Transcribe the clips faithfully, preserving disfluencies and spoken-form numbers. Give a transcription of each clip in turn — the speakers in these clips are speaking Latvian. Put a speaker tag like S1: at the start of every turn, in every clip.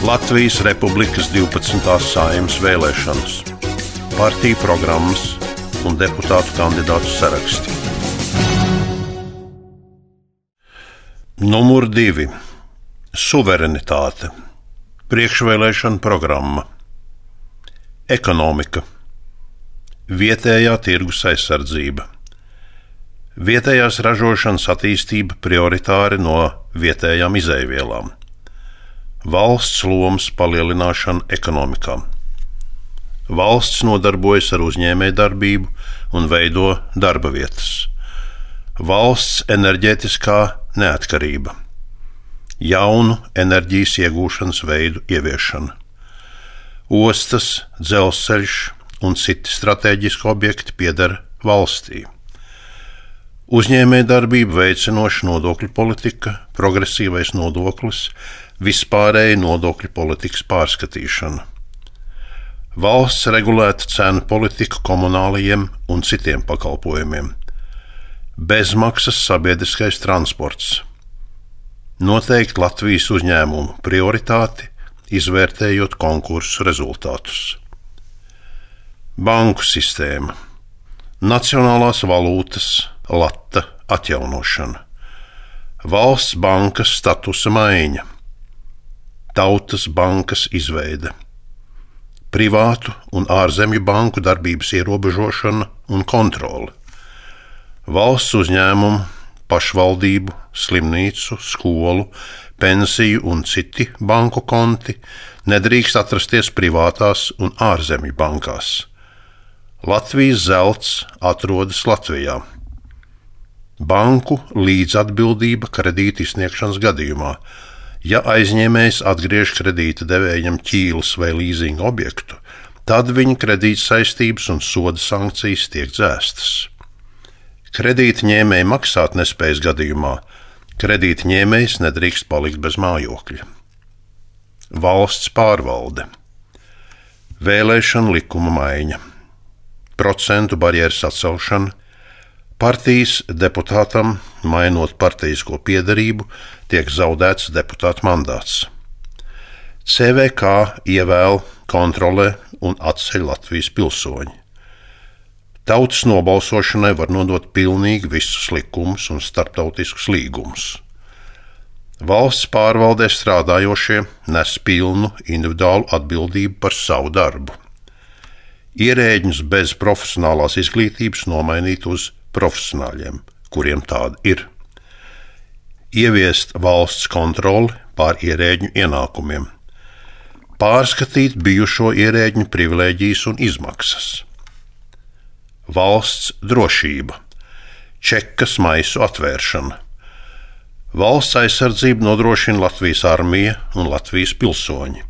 S1: Latvijas Republikas divpadsmitās Saeimas vēlēšanas, partiju programmas un deputātu kandidātu saraksti. Numur divi. Suverenitāte. Priekšvēlēšana programma. Ekonomika. Vietējā tirgus aizsardzība. Vietējās ražošanas attīstība prioritāri no vietējām izejvielām. Valsts lomas palielināšana ekonomikā. Valsts nodarbojas ar uzņēmējdarbību un veido darba vietas. Valsts enerģētiskā neatkarība. Jaunu enerģijas iegūšanas veidu ieviešana. Ostas, dzelzceļš un citi stratēģiski objekti pieder valstī. Uzņēmējdarbību veicinoša nodokļu politika, progresīvais nodoklis, vispārēja nodokļu politikas pārskatīšana. Valsts regulēta cenu politika komunālajiem un citiem pakalpojumiem. Bezmaksas sabiedriskais transports. Noteikti Latvijas uzņēmumu prioritāti, izvērtējot konkursu rezultātus. Banku sistēma. Nacionālās valūtas lata atjaunošana. Valsts bankas statusa maiņa. Tautas bankas izveide. Privātu un ārzemju banku darbības ierobežošana un kontrole. Valsts uzņēmumu, pašvaldību, slimnīcu, skolu, pensiju un citi banku konti nedrīkst atrasties privātās un ārzemju bankās. Latvijas zelts atrodas Latvijā. Banku līdzatbildība kredīta izsniegšanas gadījumā. Ja aizņēmējs atgriež kredīta devējam ķīles vai līzinga objektu, tad viņa kredīta saistības un soda sankcijas tiek dzēstas. Kredīta ņēmēja maksāt nespējas gadījumā kredīta ņēmējs nedrīkst palikt bez mājokļa. Valsts pārvalde. Vēlēšana likuma maiņa. Procentu barjeras atcelšana. Partijas deputātam, mainot partijisko piederību, tiek zaudēts deputāta mandāts. C V K ievēl, kontrolē un atceļ Latvijas pilsoņi. Tautas nobalsošanai var nodot pilnīgi visus likumus un starptautiskus līgumus. Valsts pārvaldē strādājošie nes pilnu individuālu atbildību par savu darbu. Ierēģņus bez profesionālās izglītības nomainīt uz profesionāļiem, kuriem tāda ir. Ieviest valsts kontroli pār ierēģņu ienākumiem. Pārskatīt bijušo ierēģņu privilēģijas un izmaksas. Valsts drošība. Čekas maisu atvēršana. Valsts aizsardzību nodrošina Latvijas armija un Latvijas pilsoņi.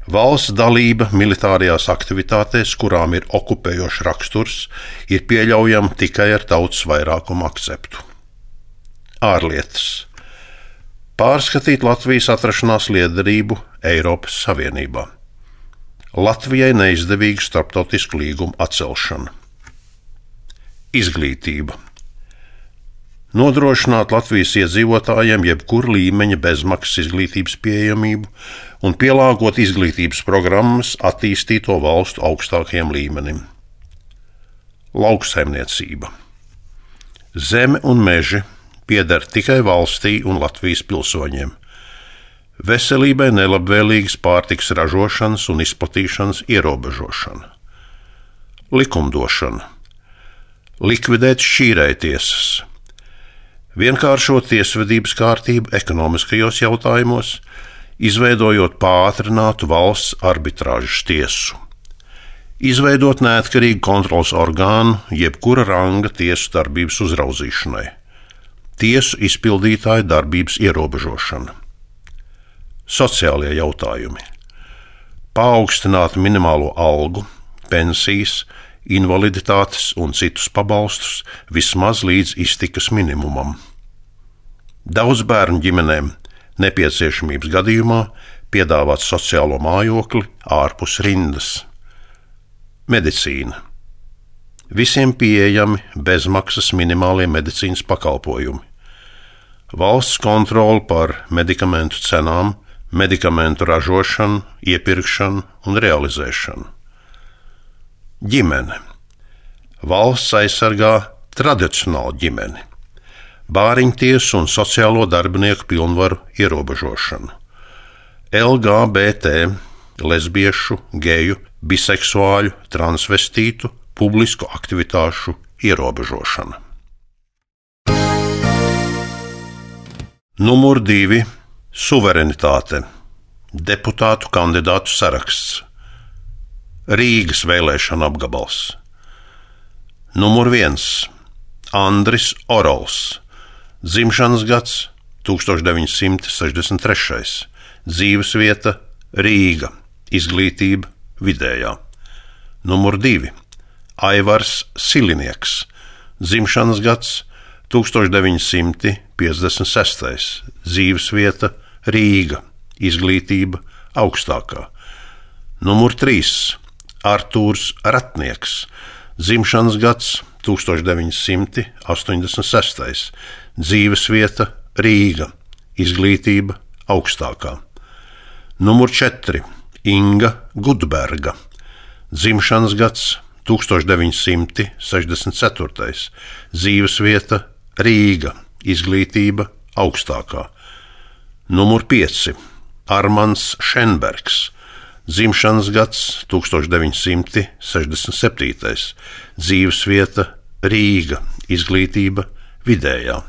S1: Valsts dalība militārajās aktivitātēs, kurām ir okupējošs raksturs, ir pieļaujama tikai ar tautas vairākumu akceptu. Ārlietas. Pārskatīt Latvijas atrašanās liederību Eiropas Savienībā. Latvijai neizdevīgu starptautisku līgumu atcelšana. Izglītība. Nodrošināt Latvijas iedzīvotājiem jebkura līmeņa bezmaksas izglītības pieejamību un pielāgot izglītības programmas attīstīto valstu augstākajam līmenim. Lauksaimniecība. Zeme un meži pieder tikai valstī un Latvijas pilsoņiem. Veselībai nelabvēlīgas pārtikas ražošanas un izplatīšanas ierobežošana. Likumdošana. Likvidēt šķīrējtiesas. Vienkāršot tiesvedības kārtību ekonomiskajos jautājumos, izveidojot pātrinātu valsts arbitrāžas tiesu. Izveidot neatkarīgu kontroles orgānu jebkura ranga tiesu darbības uzraudzīšanai. Tiesu izpildītāju darbības ierobežošana. Sociālie jautājumi. Paaugstināt minimālo algu, pensijas, invaliditātes un citus pabalstus vismaz līdz iztikas minimumam. Daudz bērnu ģimenēm nepieciešamības gadījumā piedāvāt sociālo mājokli ārpus rindas. Medicīna. Visiem pieejami bezmaksas minimālie medicīnas pakalpojumi. Valsts kontrole par medikamentu cenām, medikamentu ražošanu, iepirkšanu un realizēšanu. Ģimene. Valsts aizsargā tradicionālu ģimeni, bāriņtiesu un sociālo darbinieku pilnvaru ierobežošanu, L G B T, lesbiešu, geju, biseksuāļu, transvestītu, publisku aktivitāšu ierobežošana. Numur divi. Suverenitāte. Deputātu kandidātu saraksts. Rīgas vēlēšana apgabals. Numur viens. Andris Orols. Dzimšanas gads tūkstoš deviņi simti sešdesmit trešais. Dzīvesvieta Rīga. Izglītība vidējā. Numur divi. Aivars Silinieks. Dzimšanas gads tūkstoš deviņi simti piecdesmit sestais. Dzīvesvieta Rīga. Izglītība augstākā. Numur trīs. Artūrs Ratnieks. Dzimšanas gads tūkstoš deviņi simti astoņdesmit sestais. Dzīvesvieta Rīga. Izglītība augstākā. Numur četri. Inga Gudberga. Dzimšanas gads tūkstoš deviņi simti sešdesmit ceturtais. Dzīvesvieta Rīga. Izglītība augstākā. Numur pieci. Armands Šenbergs. Dzimšanas gads tūkstoš deviņi simti sešdesmit septītais. Dzīvesvieta Rīga. Izglītība vidējā.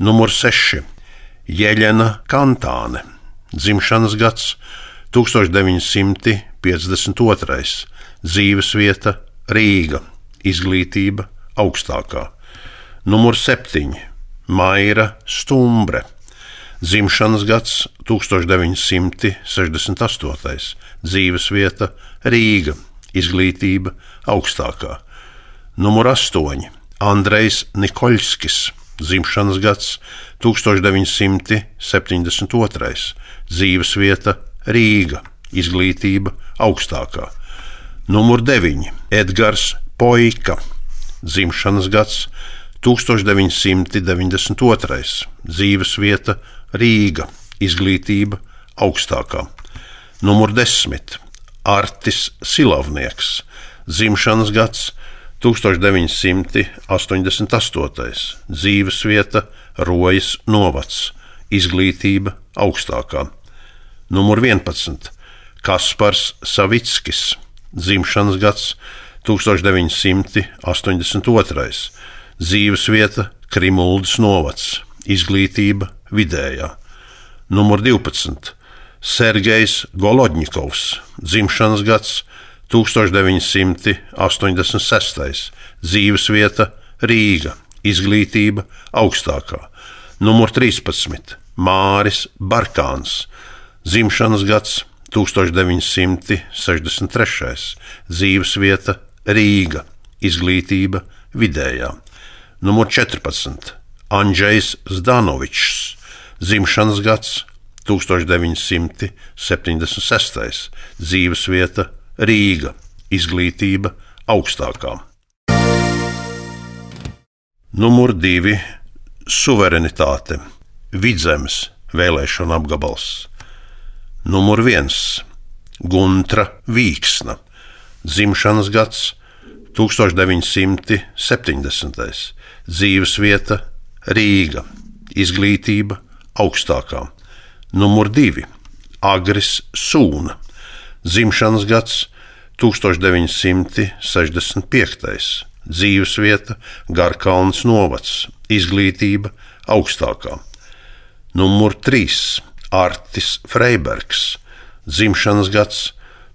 S1: Numur seši. Jeļena Kantāne. Dzimšanas gads tūkstoš deviņi simti piecdesmit otrais. Dzīvesvieta Rīga. Izglītība augstākā. Numur septiņi. Maira Stumbre. Dzimšanas gads tūkstoš deviņi simti sešdesmit astotais. Dzīvesvieta Rīga. Izglītība augstākā. Numur astoņi. Andrejs Nikoļskis. Dzimšanas gads tūkstoš deviņi simti septiņdesmit otrais. Dzīvesvieta Rīga. Izglītība augstākā. Numur deviņi. Edgars Poika. Dzimšanas gads tūkstoš deviņi simti deviņdesmit otrais. Dzīvesvieta Rīga. Izglītība augstākā. Numur desmit. Artis Silavnieks. Dzimšanas gads tūkstoš deviņi simti astoņdesmit astotais. Dzīvesvieta Rojas novads. Izglītība augstākā. Numur vienpadsmit. Kaspars Savickis. Dzimšanas gads tūkstoš deviņi simti astoņdesmit otrais. Dzīvesvieta Krimuldas novads. Izglītība vidējā. Numur divpadsmit. Sergejs Golodņikovs. Dzimšanas gads tūkstoš deviņi simti astoņdesmit sestais. Dzīvesvieta Rīga. Izglītība augstākā. Numur trīspadsmit. Māris Barkāns. Dzimšanas gads tūkstoš deviņi simti sešdesmit trešais. Dzīvesvieta Rīga. Izglītība vidējā. Numur četrpadsmit. Andžejs Zdanovičs. Dzimšanas gads tūkstoš deviņi simti septiņdesmit sestais. Dzīvesvieta Rīga. Izglītība augstākā. Numur divi. Suverenitāte. Vidzemes vēlēšana apgabals. Numur viens. Guntra Vīksna. Dzimšanas gads tūkstoš deviņi simti septiņdesmitais. Dzīvesvieta Rīga. Izglītība augstākā. Numur divi. Agris Sūna. Dzimšanas gads tūkstoš deviņi simti sešdesmit piektais. Dzīvesvieta Garkalnes novads. Izglītība augstākā. Numur trīs. Artis Freibergs. Dzimšanas gads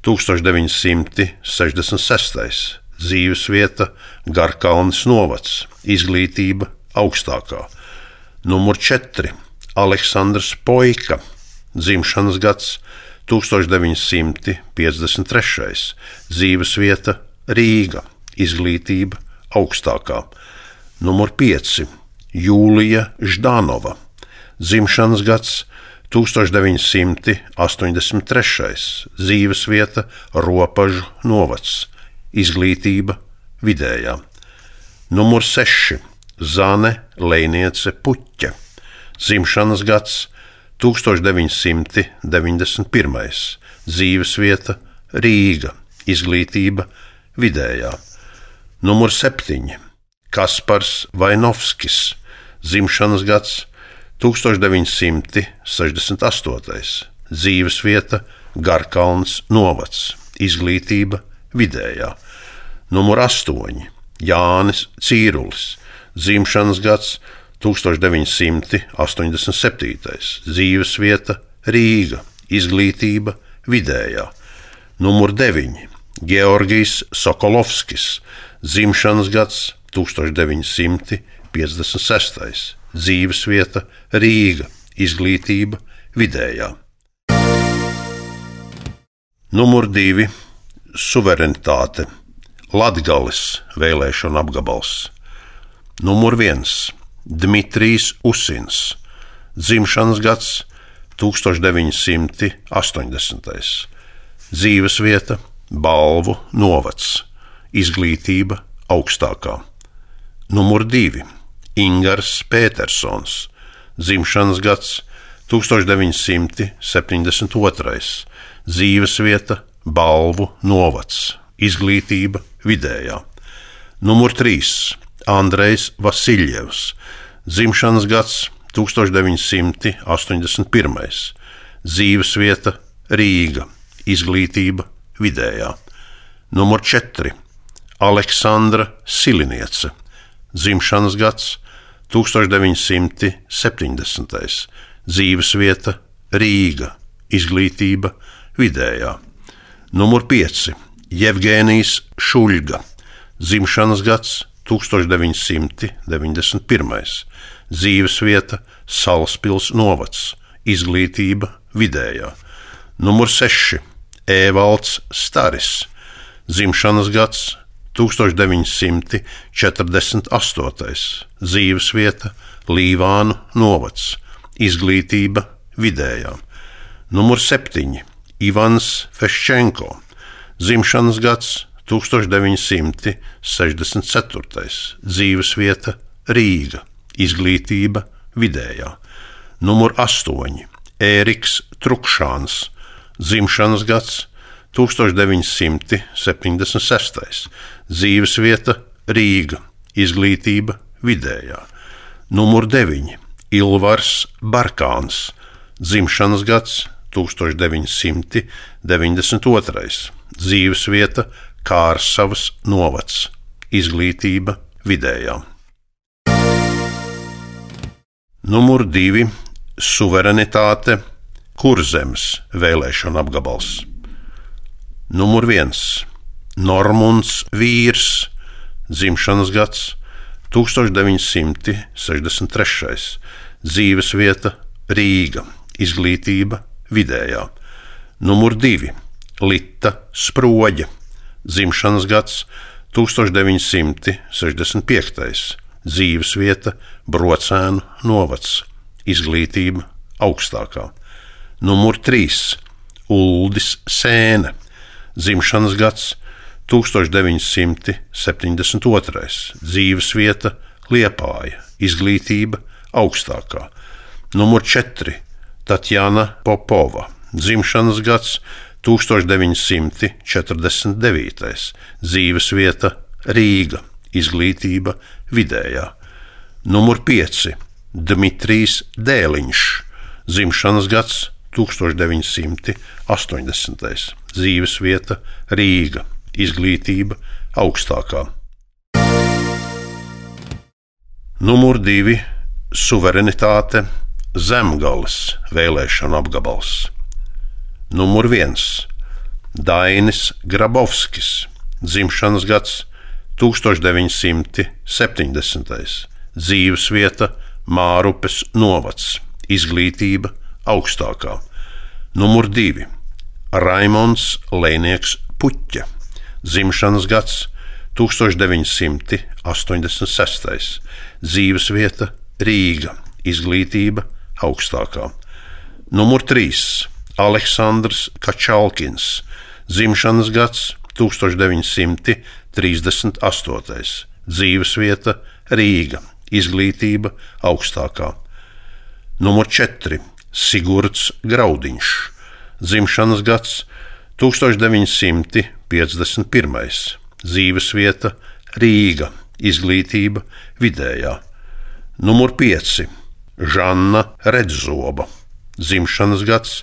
S1: tūkstoš deviņi simti sešdesmit sestais. Dzīvesvieta Garkalnes novads. Izglītība augstākā. Numur četri. Aleksandrs Poika. Dzimšanas gads tūkstoš deviņi simti piecdesmit trešais. Dzīvesvieta Rīga. Izglītība augstākā. Numur pieci. Jūlija Ždanova. Dzimšanas gads tūkstoš deviņi simti astoņdesmit trešais. Dzīvesvieta Ropažu novads. Izglītība vidējā. Numur seši. Zane Lejniece Puķe. Dzimšanas gads tūkstoš deviņsimt deviņdesmit pirmais. Dzīvesvieta Rīga. Izglītība vidējā. Numur septiņi. Kaspars Vainovskis. Dzimšanas gads tūkstoš deviņsimt sešdesmit astotais. Dzīvesvieta Garkalns novads. Izglītība vidējā. Numur astoņi. Jānis Cīrulis. Dzimšanas gads tūkstoš deviņsimt astoņdesmit septītais. Dzīvesvieta Rīga. Izglītība vidējā. Numur deviņi. Georgijs Sokolovskis. Dzimšanas gads tūkstoš deviņsimt piecdesmit sestais. Dzīvesvieta Rīga. Izglītība vidējā. Numur divi. Suverenitāte. Latgales vēlēšana apgabals. Numur viens. Dmitrijs Usins. Dzimšanas gads tūkstoš deviņsimt astoņdesmitais. Dzīvesvieta Balvu novads. Izglītība augstākā. Numur divi. Ingars Pētersons. Dzimšanas gads tūkstoš deviņsimt septiņdesmit otrais. Dzīvesvieta Balvu novads. Izglītība vidējā. Numur trīs. Andrejs Vasiljevs. Dzimšanas gads tūkstoš deviņsimt astoņdesmit pirmais. Dzīvesvieta Rīga. Izglītība vidējā. Numur četri. Aleksandra Siliniece. Dzimšanas gads tūkstoš deviņsimt septiņdesmitais. Dzīvesvieta Rīga. Izglītība vidējā. Numur pieci. Jevgēnijs Šuļga. Dzimšanas gads tūkstoš deviņsimt deviņdesmit pirmais. Dzīvesvieta Salaspils novads. Izglītība vidējā. Numur seši. Evalds Staris. Dzimšanas gads tūkstoš deviņsimt četrdesmit astotais. Dzīvesvieta Līvānu novads. Izglītība vidējā. Numur septiņi. Ivans Feščenko. Dzimšanas gads tūkstoš deviņsimt sešdesmit ceturtais. Dzīvesvieta Rīga. Izglītība vidējā. Numur astoņi. Ēriks Trukšāns. Dzimšanas gads tūkstoš deviņsimt septiņdesmit sestais. Dzīvesvieta Rīga. Izglītība vidējā. Numur deviņi. Ilvars Barkāns. Dzimšanas gads tūkstoš deviņsimt deviņdesmit otrais. Dzīvesvieta Kārsavas novads. Izglītība vidējā. Numur divi. Suverenitāte. Kurzemes vēlēšana apgabals. Numur viens. Normunds Vīrs. Dzimšanas gads tūkstoš deviņsimt sešdesmit trešais. Dzīvesvieta Rīga. Izglītība vidējā. Numur divi. Lita Sproģa. Dzimšanas gads tūkstoš deviņsimt sešdesmit piektais. Dzīvesvieta Brocēnu novads. Izglītība augstākā. Numur trīs. Uldis Sēne. Dzimšanas gads tūkstoš deviņsimt septiņdesmit otrais. Dzīvesvieta Liepāja. Izglītība augstākā. Numur četri. Tatjana Popova. Dzimšanas gads tūkstoš deviņsimt četrdesmit devītais. Dzīvesvieta Rīga. Izglītība vidējā. Numur pieci. Dmitrijs Dēliņš. Dzimšanas gads tūkstoš deviņsimt astoņdesmitais. Dzīvesvieta Rīga. Izglītība augstākā. Numur divi. Suverenitāte. Zemgales vēlēšana apgabals. Numur viens. Dainis Grabovskis. Dzimšanas gads tūkstoš deviņsimt septiņdesmitais. Dzīvesvieta Mārupes novads. Izglītība augstākā. Numur divi. Raimonds Lēnieks Puķa. Dzimšanas gads tūkstoš deviņsimt astoņdesmit sestais. Dzīvesvieta Rīga. Izglītība augstākā. Numur trīs. Aleksandrs Kačalkins. Dzimšanas gads tūkstoš deviņsimt trīsdesmit astotais. Dzīvesvieta Rīga. Izglītība augstākā. Numur četri. Sigurds Graudiņš, dzimšanas gads tūkstoš deviņi simti piecdesmit pirmais, dzīvesvieta Rīga, izglītība vidējā. Numur pieci Žanna Redzoba, dzimšanas gads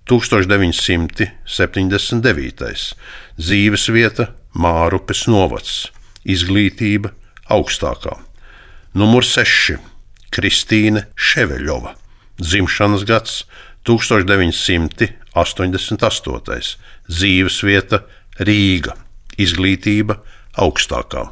S1: tūkstoš deviņi simti septiņdesmit devītais, dzīvesvieta Mārupes novads, izglītība augstākā. Numur seši Kristīne Ševeļova, dzimšanas gads tūkstoš deviņi simti astoņdesmit astotais, dzīvesvieta Rīga, izglītība augstākā.